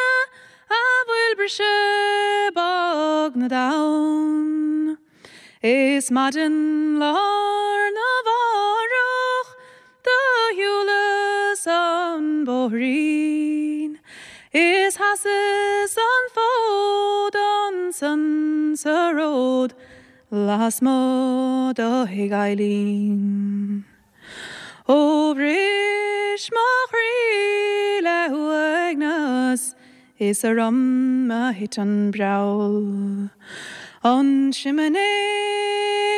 a bhfuil briseadh bog na dtonn. Is maidin lá arna mhárach do shiúlas an bóithrín. Is sheasas an fód ansan sa ród lasmuigh de thigh Eileen. Ó bhris mo chroí le huaigneas is orm a thit an breall. An simné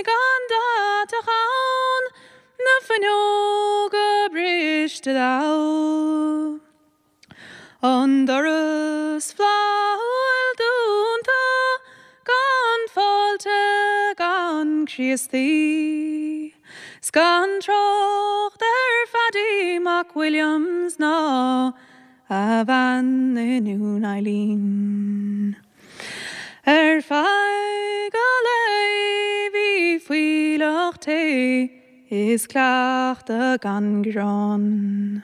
gan deatach ann na fuinneoga briste dall. An doras flaithiúil dúnta gan fáilte gan Críostaí. 'S gan trácht ar Phaddy Mac Williams ná a bhean i nDún Eileen. Ar feadh an lae bhí fuílleach tae is cleachtadh gan gearán.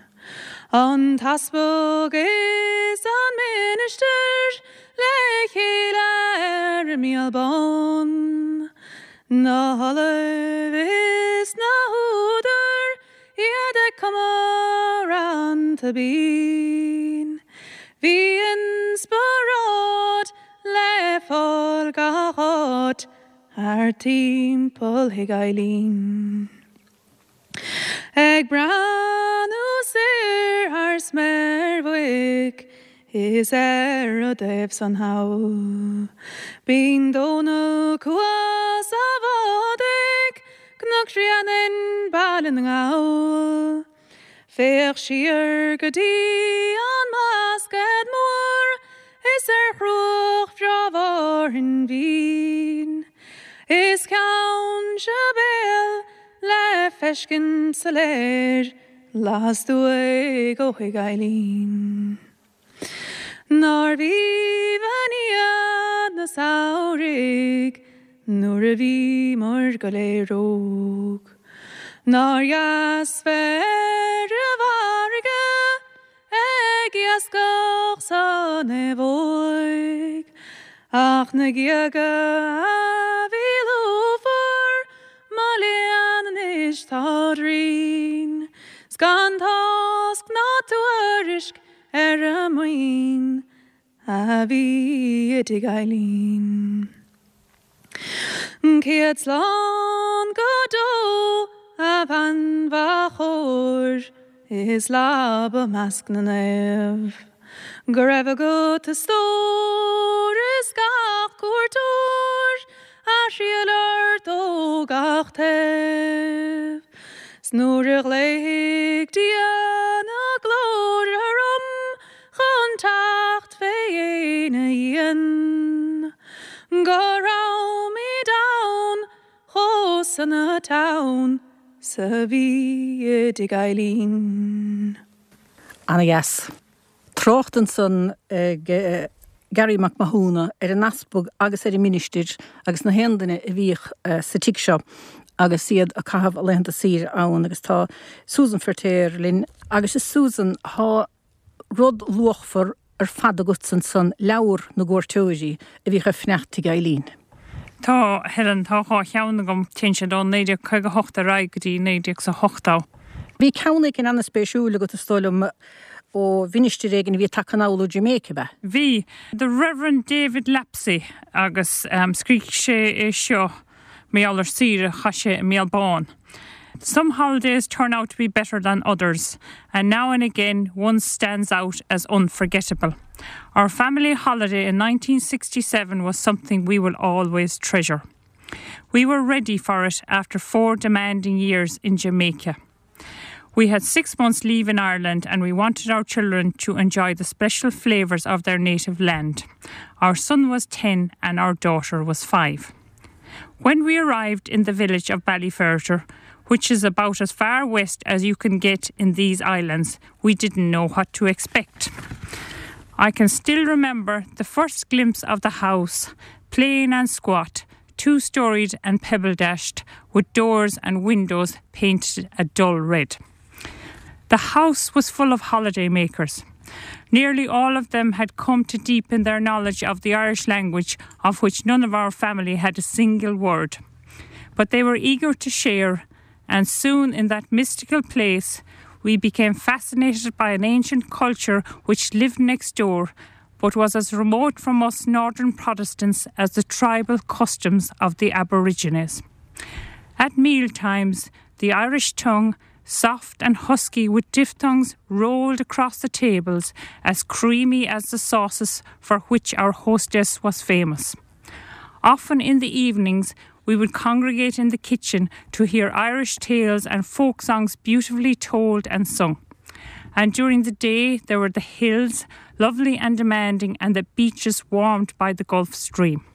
An t-easpag is an ministir le chéile ar an Míol Bán. Na hollaimh is na húdair iad ag cumadh rannta binn. Bhí inspioráid le fáil gach áit thar timpeall thigh Eileen. Ag breathnú soir thar sméar bhoic is ar an dtaobh san thall. Bíonn Dónal Cuas a bhád Cnoc Bhréanainn Baile na nGall. Féach siar go dtí an mBlascaod Mór is ar chruach bhreá Mhárthain Mhín. Is Ceann Sibéal le feiscint soiléir lastuaidh ó thigh Eileen. Nár bh'aoibhinn iad na samhraidh nuair a bhíomar go léir óg. Nár dheas bheith ar an bhfarraige ag iascach sa naomhóig, Ach na géaga a bhí lúfar mo léan anois táid righin, 's gan tásc ná tuairisc ar an maoin a bhí i dtigh Eileen. Céad slán go deo a bhean mhaith chóir is leaba i measc na naomh. Go raibh agat a stór is gach cuairteoir a thriall ort ó gach taobh. 'S nuair a ghlaofaidh Dia na glóire orm chun teacht fé dhéin a dhíon. Go raibhimid ann chomh sona teann 's a bhí i dtigh Eileen. Ana-dheas. Trácht ansan ag Gary Mac Mathúna ar an easpag agus ar an ministir agus na haon duine a bhíodh sa tigh seo agus iad ag caitheamh a laethanta saoire ann agus tá Susan Feirtéar linn agus is Susan tá rud luachmhar ar fad agat ansan leabhar na gcuairteoirí a bhíodh ag fanacht tigh Eileen. Tá Helen tá dhá cheann agam téann siad ó naoi déag caoga hocht ar aghaidh go dtí naoi déag sa ochtó. Bhí ceann éigin an-spéisiúil agat is dóigh liom ó mhinistir éigin a bhí tagtha anall ó Jamaica ab ea. Bhí the Reverend David Lapsey agus um, scríobh sé é seo mar gheall ar saoire a chaith sé i mBéal Bán. Some holidays turn out to be better than others, and now and again one stands out as unforgettable. Our family holiday in nineteen sixty-seven was something we will always treasure. We were ready for it after four demanding years in Jamaica. We had six months leave in Ireland and we wanted our children to enjoy the special flavours of their native land. Our son was ten and our daughter was five. When we arrived in the village of Ballyferriter, which is about as far west as you can get in these islands, we didn't know what to expect. I can still remember the first glimpse of the house, plain and squat, two-storied and pebble-dashed, with doors and windows painted a dull red. The house was full of holiday makers. Nearly all of them had come to deepen their knowledge of the Irish language, of which none of our family had a single word. But they were eager to share, and soon in that mystical place we became fascinated by an ancient culture which lived next door, but was as remote from us northern Protestants as the tribal customs of the Aborigines. At meal times, the Irish tongue, soft and husky with diphthongs rolled across the tables, as creamy as the sauces for which our hostess was famous. Often in the evenings, we would congregate in the kitchen to hear Irish tales and folk songs beautifully told and sung. And during the day, there were the hills, lovely and demanding, and the beaches warmed by the Gulf Stream.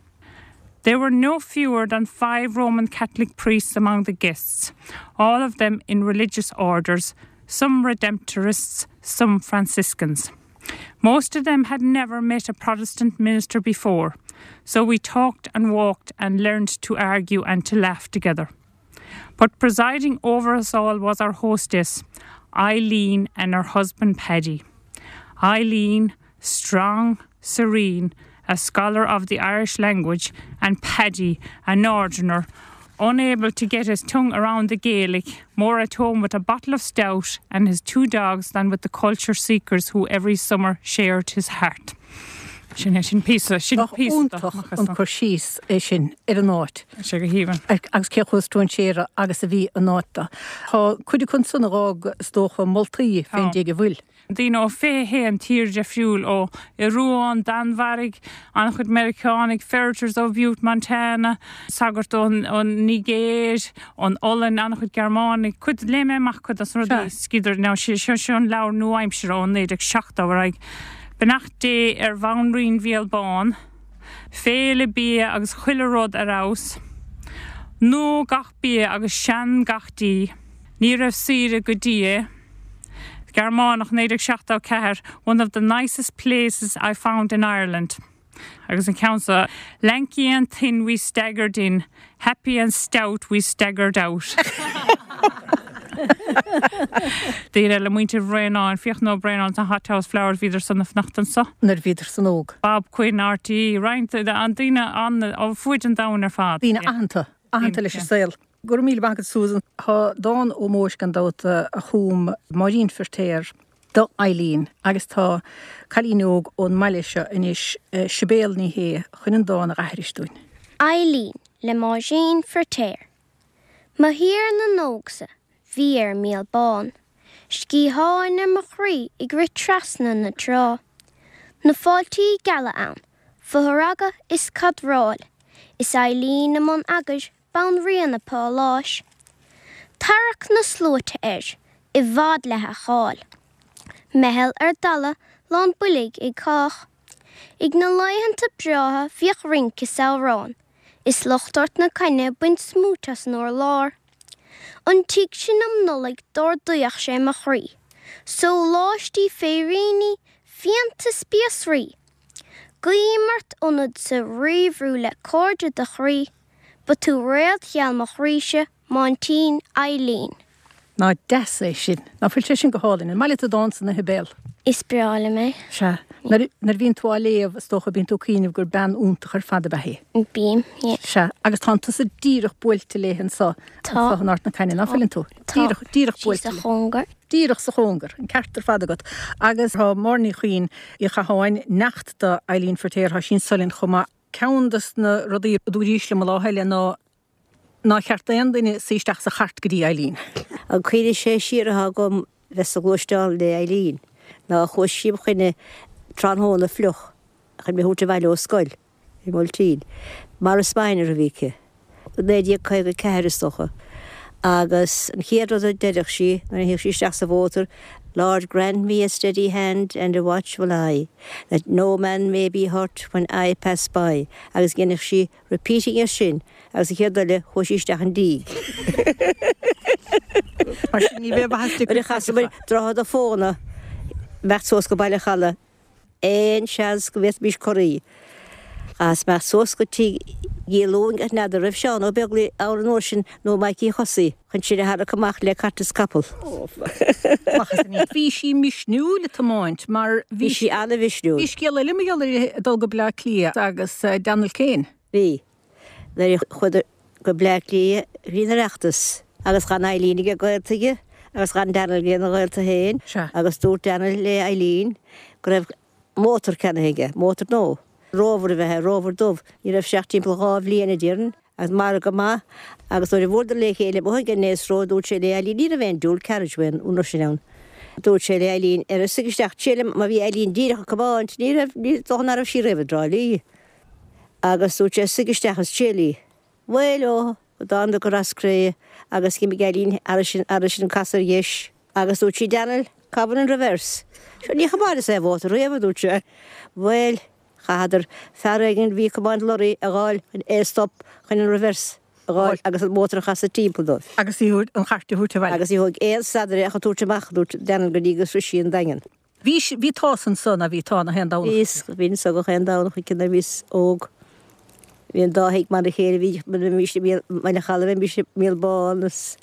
There were no fewer than five Roman Catholic priests among the guests, all of them in religious orders, some Redemptorists, some Franciscans. Most of them had never met a Protestant minister before, so we talked and walked and learned to argue and to laugh together. But presiding over us all was our hostess, Eileen, and her husband Paddy. Eileen, strong, serene, a scholar of the Irish language, and Paddy, a northerner, unable to get his tongue around the Gaelic, more at home with a bottle of stout and his two dogs than with the culture seekers who every summer shared his heart. Sin sin píosa sin píosa an cur síos é sin ar an áit. Sé go haoibhinn. Agus cé chomh strainséartha agus a bhí an áit. Tá cuid acu san a rá is dócha moltaí fén dtig a bhfuil. Daoine ó fiche haon tír difriúil ó Ioruaidh, Danmhairg, an-chuid Meiriceánaigh, Ferriters ó Butte, Montana, sagart ón Nigéir, ón Ollainn, an-chuid Gearmánaigh, cuid léigh mé amach cuid as rudaí scríobhadar now sé seo seo an leabhar nua-aimseartha ó naoi déag seachtó ar aghaidh. Beannacht Dé ar Bhanríon Bhéal Bán, Féile bia agus chuile rud ar fheabhas. Nua gach bia agus sean gach dí. Ní raibh saoire go dtí é. Gearmánach naoi déag seachtó ceathair, one of the nicest places I found in Ireland. Agus an ceann seo, lanky and thin we staggered in, happy and stout we staggered out. Daoine le muintir Bhraonáin, Fiachna Ó Braonáin an Hothouse Flowers bhíodar san ag fanacht anseo. Nuair bhíodar san óg. Bob Quinn R T, roinnt an daoine an ó fuaid an domhan ar fad. Daoine aitheanta, aitheanta leis an saol. Go raibh míle maith agat Susan tá dán ómóis gan dabht a chum Máirín Feirtéar do Eileen agus tá cailín óg ón mbaile seo anois Sibéal Ní Shé chun an dán a aithris dúinn. Eileen le Máirín Feirtéar. Mo thír na n-ógsa bhí ar Míol Bán. Sciatháin ar mo chroí ag rith trasna na trá. Na fáiltí geala ann, fothragadh is cadráil, is Eileen i mbun eagair banríon an pháláis. Tarrac na sluaite air, i bhfad le a cháil. Meitheal ar dalladh lán boilg ag cách. Ag na laethanta breátha bhíodh rince is amhrán, is lucht Ard na Caithne ag baint smúit as an urlár. An tigh sin um Nollaig d'ardaíodh sé mo chroí. Sóláistí féiríní, fíonta spíosraí. Guím ort ionad sa ríbhrú le cairde do chroí, ba tú réalt gheal mo chroíse, m'aintín Eileen. Nach deas é sin, Nach bhfuil sé sin go hálainn, an maith leat an dán san a Shibéal. Is breá liom é. Sea, nuair a bhíonn tú á léamh is dócha bíonn tú ag cuimhneamh gur bean iontach ar fad ab ea í. Bím, yeah. Sea, agus tá tusa díreach buailte léi anseo Tá. in Ard na Caithne, nach bhfuileann tú? Tá. Díreach díreach Sí sa buailte. chóngar. Díreach sa chóngar, an ceart ar fad agat. Agus tá Máire Ní Chuinn Uí Chatháin neacht do Eileen Feirtéar tá sí anseo linn chomh maith ceann des na rudaí a dúirt liom an lá eile ná nár cheart d'aon duine suí isteach sa chairt go dtí Eileen. An cuimhne sé siar atá agam bheith sa ghluaisteán le Eileen ná chuaigh sí fá choinne tráthnóna fliuch chun mé a thabhairt abhaile ó scoil i mBuailtín. Morris Minor a bhí aici. Naoi déag caoga ceathair is dócha. Agus an chéad rud a deireadh sí nuair a théadh sí isteach sa mhótar, Lord grant me a steady hand and a watchful eye, that no man may be hurt when I pass by. Agus dhéanadh sí repeating ar sin agus a chéad eile chuaigh sí isteach an díg. Mar sin ní bheith Nuair a chasamar Droichead a' Phóna imeacht suas go Baile Challa aon seans go bhféadfaimis corraí. As imeacht suas go tigh Dhiolúin ach n'fheadar raibh Seán Ó Beaglaoich ann an uair sin nó Mikey Chosaí chun sinn a tharrac amach le cairt is capall. Bhí sí misniúil ag tiomáint mar bhí sí an-mhisniúil. Bhí scéal eile mar gheall uirthi ag dul go Bleá Cliath agus Daniel Kane. Bhí. Nuair a chuadar go Bleá Cliath bhí an Oireachtas agus chan Eileen ag gaolta aige Agus chan Daniel lena ghaolta féin agus dúirt Daniel le Eileen go raibh mótar ceannaithe aige, mótar nua. Rover a bhí, Rover dubh. Ní raibh sé ach timpeall dhá bhliain a déarfainn, agus margadh maith agus nuair a bhuaileadar le chéile amuigh ag an Naas Road dúirt sé le Eileen, ní raibh aon dual carriageway an uair sin ann. Dúirt sé le Eileen, ar suigh isteach triail mar bhí Eileen díreach ag comáint, ní raibh, ní dócha nach raibh sí riamh i dTrá Lí. Agus dúirt sé suigh isteach is triail í. Bhuel ó, go dtánadar go Ros Cré agus d'imigh Eileen thairis an casadh ar dheis agus dúirt sí, Daniel, cá bhfuil an reverse? Sure ní chomáineas é mhótar riamh, a dúirt sé. Bhuel, chaitheadar fear éigin a bhí ag comáint lorraí a dh'fháil chun é a stop chun an reverse a dh'fháil agus an mótar a chasadh timpeall dóibh. Agus í an chairt a thabhairt abhaile. Agus ní thóg aon stad uirthi ach a tabhairt amach, a dúirt Daniel, go dtí go srois sí an Daingean. Bhí, bhí tusa ansan, a bhí tá na haon Domhnach. Bhíos, bhínn anso gach aon Domhnach aici nuair a bhíos óg. Bhí an dá thigh mar a chéile, bhí, bheimis i mBaile an Chalaidh, bheimis i Míol Bán is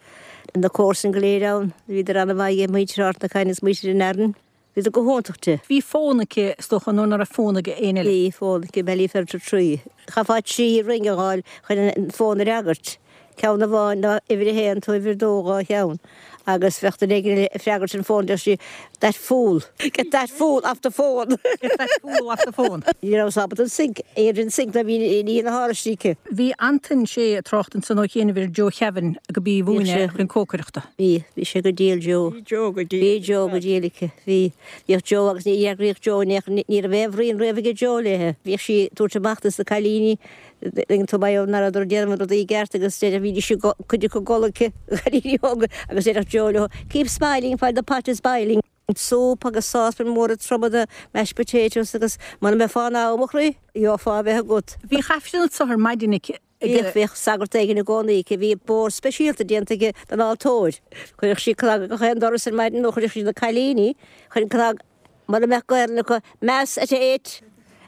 na comharsain go léir ann. Bhíodar an-mhaith ag muintir Ard na Caithne is muintir an Fhearainn. Bhíodar go hiontach di. Bhí fón aici, is dócha, nuair nach raibh fón ag éinne eile. Bhí fón aici, Ballyferriter Three. Chaithfeá trí ring a dh'fháil chun an fón a fhreagairt. Ceann amháin ná uimhir a haon nó uimhir a dó dhá cheann. Agus bheadh duine éigin ag freagairt an fón, deir sí, That fool! Get that fool off the phone! Get that fool off the phone! Ní rabhas ábalta an sinc, ar an sinc ná bhí ní na hÁraistí aici. Bhí Antain sé ag trácht ansan ó chianaibh ar Joe Kevin go b'í a mhúineadh chun cócaireachta. Bhí, bhí sé go diail Joe. Bhí Joe go diail. Bhí Joe go diail aici. Bhí, bhíodh Joe agus ní fhreagraíodh Joe in aon chor, ní raibh aon bhruíon riamh aige Joe léithe. Bhíodh sí ag tabhairt amach dos na cailíní Ag an mbaile nach rabhadar ag déanamh na rudaí i gceart agus deireadh bhídís ag cuid acu ag gol aici, cailíní óga, agus deireadh Joe leo, Keep smiling while the pot is boiling. Súp agus sáspan móra troma de mashed potatoes agus muna mbeifeá in am, a chroí, gheofá a bheith agat. Bhí Aifreann anso ar maidin aici. Bhíodh, bhíodh sagart éigin i gcónaí aici, bhí bord speisialta déanta aige don altóir. Chuireadh sí cnag ag gach aon doras ar maidin nó chuireadh sí na cailíní chun cnag Mura mbeadh Gaelainn acu, Mass at eight,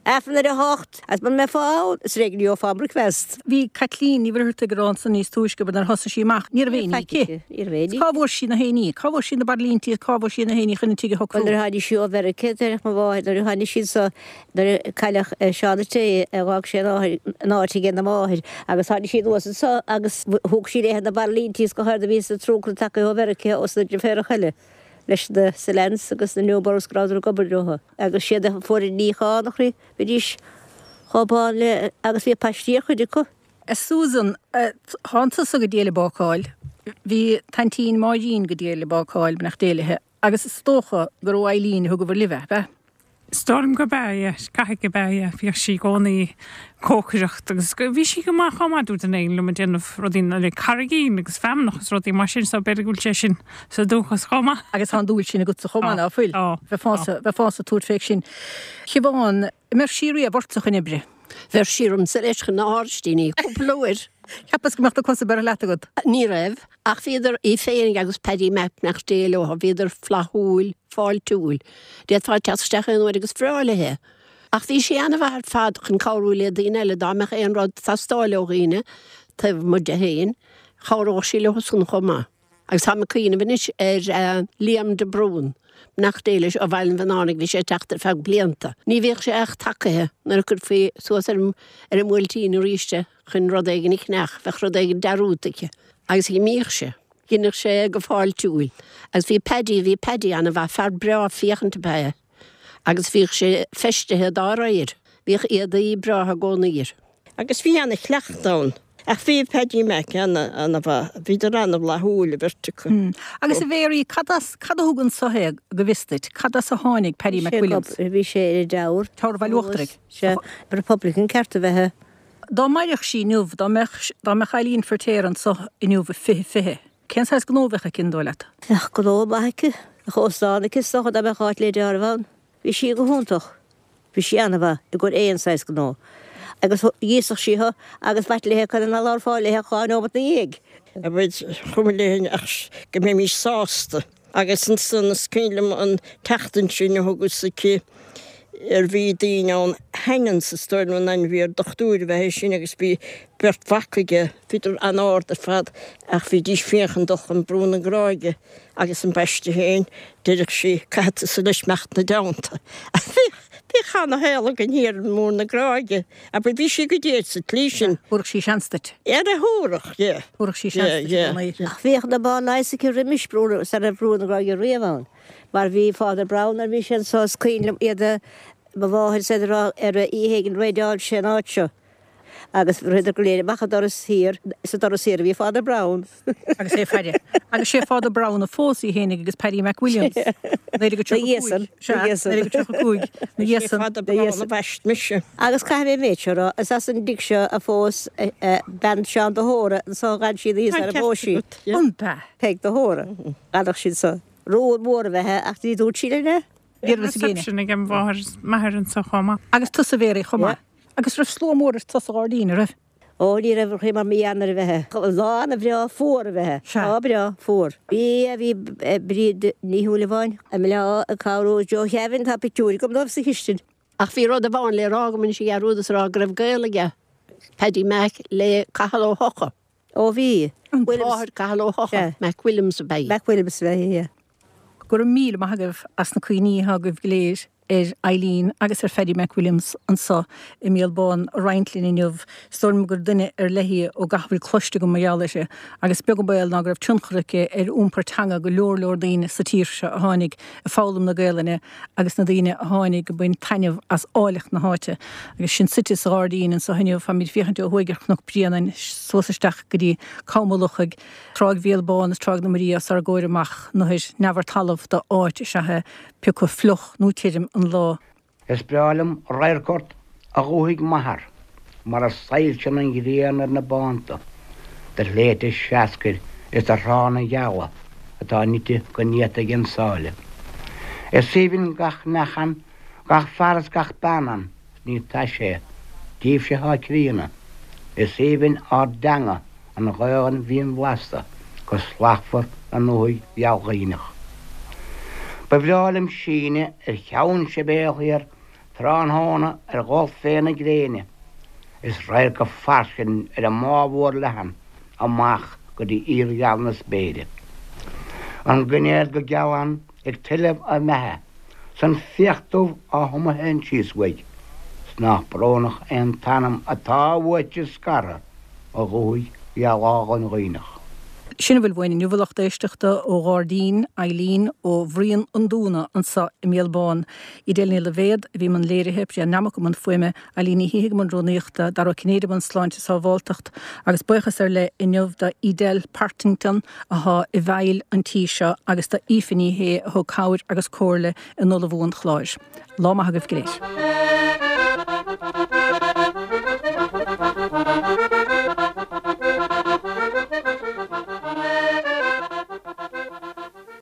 Aifreann ar a hocht, agus mura mbeifeá ann, is ar éigean a gheofá an bricfeast. Bhí Caitlín Ní Mhuircheartaigh ag rá ansan níos túisce, but nuair a thosaigh sí amach, ní raibh aon ní aici. Ní raibh aon ní. Cá bhfuair sí na haon ní? Cá bhfuair sí na bairillíntí is cá bhfuair sí na haon ní chun an tigh a shocrú? Bhuel, nuair a tháinig sí ó Mheiriceá, deireadh mo mháthair, nuair a tháinig sí anso, nuair a cailleadh Seán a' Té, dh'fhág sé an áit aige ina máthair, agus tháinig sí anuas anso agus thug sí léithe na bairillíntí is go háirithe a bhí sa truncanna tagtha ó Mheiriceá os na deirféaracha eile. leis na Selans agus na Newboroughs go rabhadar ag obair leo agus siad a fuair an níochán, a chroí, bhídís chomh bán le agus bhí paistí ar chuid acu. A Susan, thánn tusa go diail ag bácáil, bhí t'aintín Máirín go diail ag bácáil, beannacht Dé léithe, agus is dócha gur ó Eileen a thugabhair libh é, ab ea? Is dóigh liom gurb ea, yeah. Caithfidh gurb ea, yeah. Bhíodh sí i gcónaí ag cócaireacht agus bhí sí go maith chomh maith, dúirt duine éigin liom, ag déanamh rudaí le carraigín agus feamnach agus rudaí mar sin so b'fhéidir go bhfuil sé sin sa dúchas chomh maith. Agus tá an dúil sin agatsa chomh maith, ná fuil? Tá. Bheifeása, bheifeása ag tabhairt fé sin. Siobhán, an mbeadh sí riamh ortsa chun oibre? Bheir sí ormsa leis chun na hÁraistíní cúpla uair. Cheapas go mbeadh na cosa beirthe leat agat. Ní raibh, ach bhíodar, í féinig agus Paddy Mac, beannacht Dé leo, bhíodar flaithiúil, fáiltiúil. D'fhéadfá teacht isteach aon uair agus bhreá léithe. Ach bhí sí an-mhaith ar fad chun cabhrú le daoine eile, dá mbeadh aon rud ag teastáil ó dhaoine taobh amuigh di féin, chabhródh sí leo san chomh maith. Agus táim ag cuimhneamh anois ar Liam de Brún, beannacht Dé leis, ó Bhaile an Bhannánaigh, bhí sé ag teacht ar feadh blianta. Ní bhíodh sé ach tacaithe nuair a chuirfí suas ar an ar an mBuailtín arís é chun rud éigin a cheannach, bheadh rud éigin dearúdta aici. Agus dh'imíodh sé. Dheineadh sé é go fáiltiúil. Agus bhí Paddy, bhí Paddy an-mhaith, fear breá féachaint ab ea é. Agus bhíodh sé feistithe dá réir. Bhíodh éadaí breátha i gcónaí air. Agus bhí ana-chleachtadh ann. Ach bhí Paddy Mac ana-mhaith, bhíodar ana-fhlaithiúil an bheirt acu. Agus a Mhéaraí, cad as, cad a thug anso é, go bhfios duit, cad as a tháinig Paddy McWilliams? Bhí sé ar an dTeamhair. Teamhair Bhaile Uachtarach. Sea, Republican ceart a bheith é. Dá mairfeadh sí inniu, dá mbeadh, dá mbeadh Eileen Feirtéar anso inniu i fiche fiche, cén saghas gnó a bheadh aici, an dóigh leat? Bheadh gnó maith aici, bheadh óstán aici is dócha dá mbeadh áit le deáramh ann. Bhí sí go hiontach. Bhí sí ana-mhaith i gcomhair aon saghas gnó. Agus dh'íosfadh sí thu agus b'ait léithe conas ná labharfá léithe ach dhá neomat 'na dhiaidh. Abair, chuma léi ach go mbeimís sásta. Agus ansan is cuimhin liom an tseachtain sin a thugas aici ar bhí daoine ann Hannans is dóigh liom an ainm a bhí air, dochtúir ab ea é sin agus bhí beirt mhac aige, bhíodar an-ard ar fad ach bhídís féin chun dul chun Brú na Gráige agus ambaiste féin, deireadh sí, caithfidh tusa leis imeacht 'na dteannta. Bhíodh, bhíodh Bhíodh ana-shaol againn thiar i mBun na Gráige, abair bhí sí go diail sa tslí sin. Thabharfadh sí seans duit. Yeah, thabharfadh, yeah. Thabharfadh sí seans duit i gcónaí. Ach bhíodh na ba leighis aici roimis brú, sara raibh Brú na Gráige riamh ann. Mar bhí Father Brown nuair a bhí sé anso is cuimhin liom iad a, mo mháthair is iad a rá ar oíche éigin raideáil sé an áit seo. Agus ritheadar go léir amach an doras thiar, sa doras thiar a bhí Father Brown. Agus é ag faire. Agus sé Father Brown a phós í fhéinig agus Paddy McWilliams. Naoi déag tríocha cúig. Sea, naoi déag tríocha cúig. Na dhiaidh san. Father Brown a bhaist mise. Agus caithfidh mé an méid seo a rá, is as an dtigh seo a phós bean Seán de hÓra, anso a dh'fhan sí an oíche sara bpós sí. An b'ea? Peig de hÓra. D'fhanadh sí anso. Rún mór a bheith ach ní dúirt sí linn é. Bhí reception ag an mháthair is m'athair anso chomh maith. Agus tusa Mhéaraí chomh maith. Agus raibh slua mór ar tusa sa ghairdín, a raibh? Ó, ní raibh, chuir mar mí Eanáir a bheith. Lá ana bhreá fuar a bheith. Sea. Lá breá fuar. Bhí, bhí Bríd Ní Shúilleabháin i mBleá ag cabhrú Joe Kevin, tá pictiúir agam dóibh sa chistin. Ach bhí rud amháin le rá agam anois a dhearúdas a rá go raibh gaol aige, Paddy Mac, le Cathal Ó hEocha. Ó bhí. Williams. Máthair Cathal Ó hEocha, Sea. Mac Williams ab ea í. Mac Williams ab ea í, yeah. Go raibh míle maith agaibh as na cuimhní atá agaibh go léir ar Eileen agus ar Phaddy McWilliams anso i mBéal Bán a roinnt linn inniu. Is dóigh liom gur duine ar leith í ó gach a bhfuil cloiste agam mar gheall uirthi, agus beag an baol ná go raibh tionchar aici ar iompar teanga go leor leor daoine sa tír seo a tháinig ag foghlaim na Gaelainne agus na daoine a tháinig ag baint taitneamh as áilleacht na háite. Agus sinn suite sa ghairdín anso inniu, táimid ag féachaint ó thuaidh ar Chnoc Bréanainn suas isteach go dtí Com an Lochaigh, Tráigh Bhéal Bán is Tráigh na Maria os ár gcomhair amach, anoir neamh ar talamh d'áit is ea é, pé acu fliuch nó tirim an lá. Is breá liom radharc ort, a dhúthaigh m'athar, mar a soilseann an ghrian ar na bánta de shléibhte seascair is de thránna geala atá nite go néata ag an sáile. Is aoibhinn gach neach ann, gach fear is gach bean ann, 's ní taise é díbhse atá críonna. Is aoibhinn ár dteanga, an Ghaelainn mhín bhlasta, go slachtmhar i ndúthaigh gheal Dhuibhneach. Ba bhreá liom síneadh ar Cheann Sibéal thiar tráthnóna ar dhul fé na gréine, is radharc fairsing ar an mbá mhór leathan amach go dtí íorgheal na spéire. An gainéad go geal ann ag tuilleamh a mbeatha 's an fiach dubh á thumadh féin síos uaidh, 's nach brónach é an t-anam atá uaitse scartha, a dhúthaigh gheal álainn Dhuibhneach. Sin a bhfuil uainn inniu, a lucht éisteachta, ó ghairdín Eileen ó Bhruíon an Dúna anso i mBéal Bán. Edel Ní Loibhéad a bhí i mbun léirithe, Brian Nammock i mbun fuaime, Eileen Ní Shíthigh i mbun rúnaíochta, Dara Ó Cinnéide i mbun sláinte is sábháltacht, agus buíochas ar leith inniu do Edel Partington athá i bhfeighil an tí seo agus do Aoife Ní Shé a thug cabhair agus comhairle in ullmhú an chláir. Lá maith agaibh go léir.